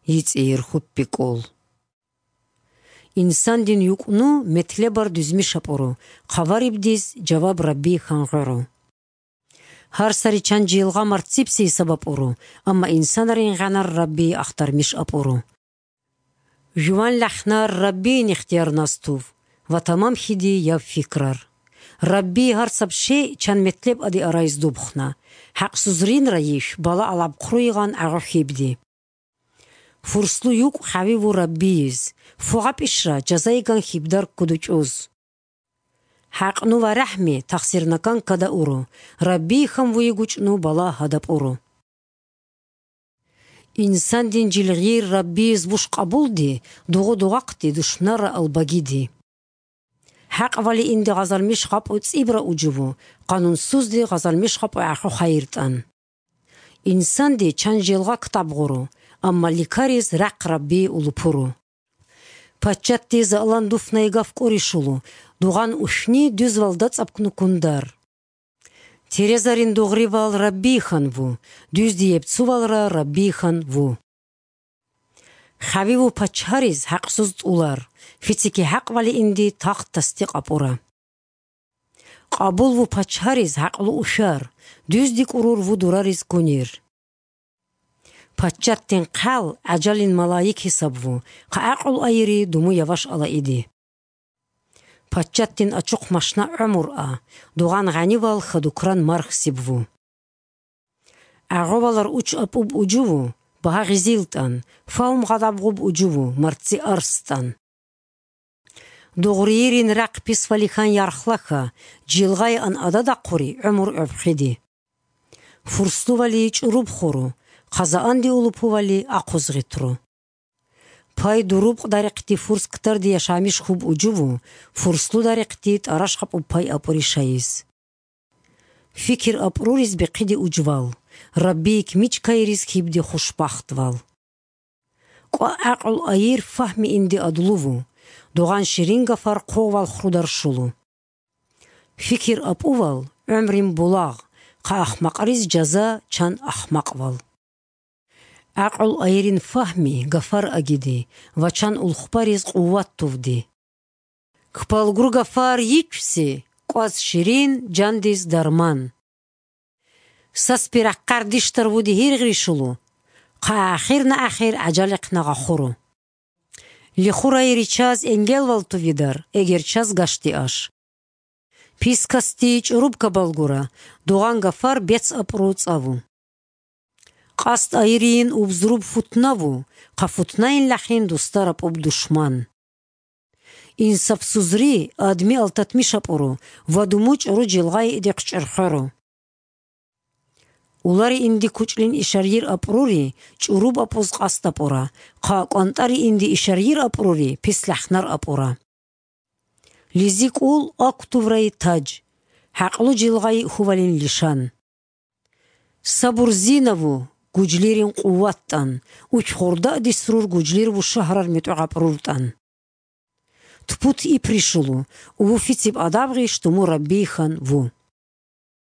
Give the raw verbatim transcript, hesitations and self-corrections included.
йицӏир хуппикӏул. Инсандин юкӏну метлебар дүзми шапуру, хабарибдиз жаваб Рабби хангъыру. Har sari çan jilga martsipsi sabab uru, amma insanların ganar Rabbi axtarmış apuru. Juvan lahnar Rabbi'nin ihtiyarnas tuv, va tamam hidi yav fikrar. Rabbi har sab şey çan metleb adi arayız dubxna, haqsuzrin rayish bala alab quruygan ağı hibdi. Furslu yuk havivu Rabbiyiz, fuqab ishra jazaygan hibdar kuduçuz. Haqnu va rahmi taqsirnakan kada uru, Rabbi ham vuyguchnu bala hadab uru. İnsan din jilgir Rabbiyiz bush qabuldi, duğu duğaqti duşnara albagidi. Haq vali indi gazalmish qab uts ibra ujuvu, qanunsuzdi gazalmish qab axu xayrtan. İnsan di çan jilga kitab guru, amma likariz raq Rabbi ulupuru. Paçatti zalan dufnaygaf qorishulu, дуган ушни дүзвалда цапкну кундар. Терезарин дугривал Раббихан ву, дүздиеп цувалра Раббихан ву. Хавиву пачариз хақсуз улар, фицики хақ вали инди тахт тастиқ апура. Қабул ву пачариз хақлу ушар, дүздик урур ву дурариз кунир. Пачаттин қал ажалин малайик хисаб ву, қаақул айри думу яваш ала иди. Пачаттин ачуқ машна умур а, дуган ғанивал хадукран марх сибву. Ағовалар уч апуб уджуву, баға ғизилтан, фаум ғадабғуб уджуву, марци арстан. Дуғриирин рақ писвалихан ярхлаха, джилғай ан адада қури умур убхиди. Фурслували чуруб хуру, қазаанди улупували ақузғитру. Пай дуруб дариқти фурс ктарди яшамиш хуб уджуву, фурслу дариқти тарашқаб у пай апуришайыз. Фикир апруриз беқиди уджвал, Раббик мич кайриз хибди хушбахтвал. Қа ақл айир фахми инди адлуву, дуган ширин гафар қовал хрударшулу. Фикир апувал, умрим булаг, қа ахмақариз жаза чан ахмақвал. Ақл айрин фахми гафар агиди, вачан улхпариз қуват тувди. Кпалгур гафар ичси, қваз ширин жандиз дарман. Саспир аққар диштар вуди хиргришулу, қа ахир на ахир ажалиқ на гахуру. Лихур айри час энгелвал тувидар, эгер час гашти аш. Пискасти чуруб кабалгура, дуган гафар бец апруц аву. Қаст айрин убзруб футнаву, қа футнаин лахин дустараб уб душман. Инсаб сузри адми алтатми шапуру, вадумуч ру жилгай идиқ чархару. Улари инди кучлин ишарир апрури, чуруб апуз қаст апура, қа қантари инди ишарир апрури, пислахнар апура. Лизик ул актуврай тадж, хақлу жилгай хувалин лишан. Сабур зинаву, гуджлирин қуваттан, уч хорда дисрур гуджлир ву шахрар метуғапруртан. Тпут и пришулу, уву фициб адабғи штуму Раббихан ву.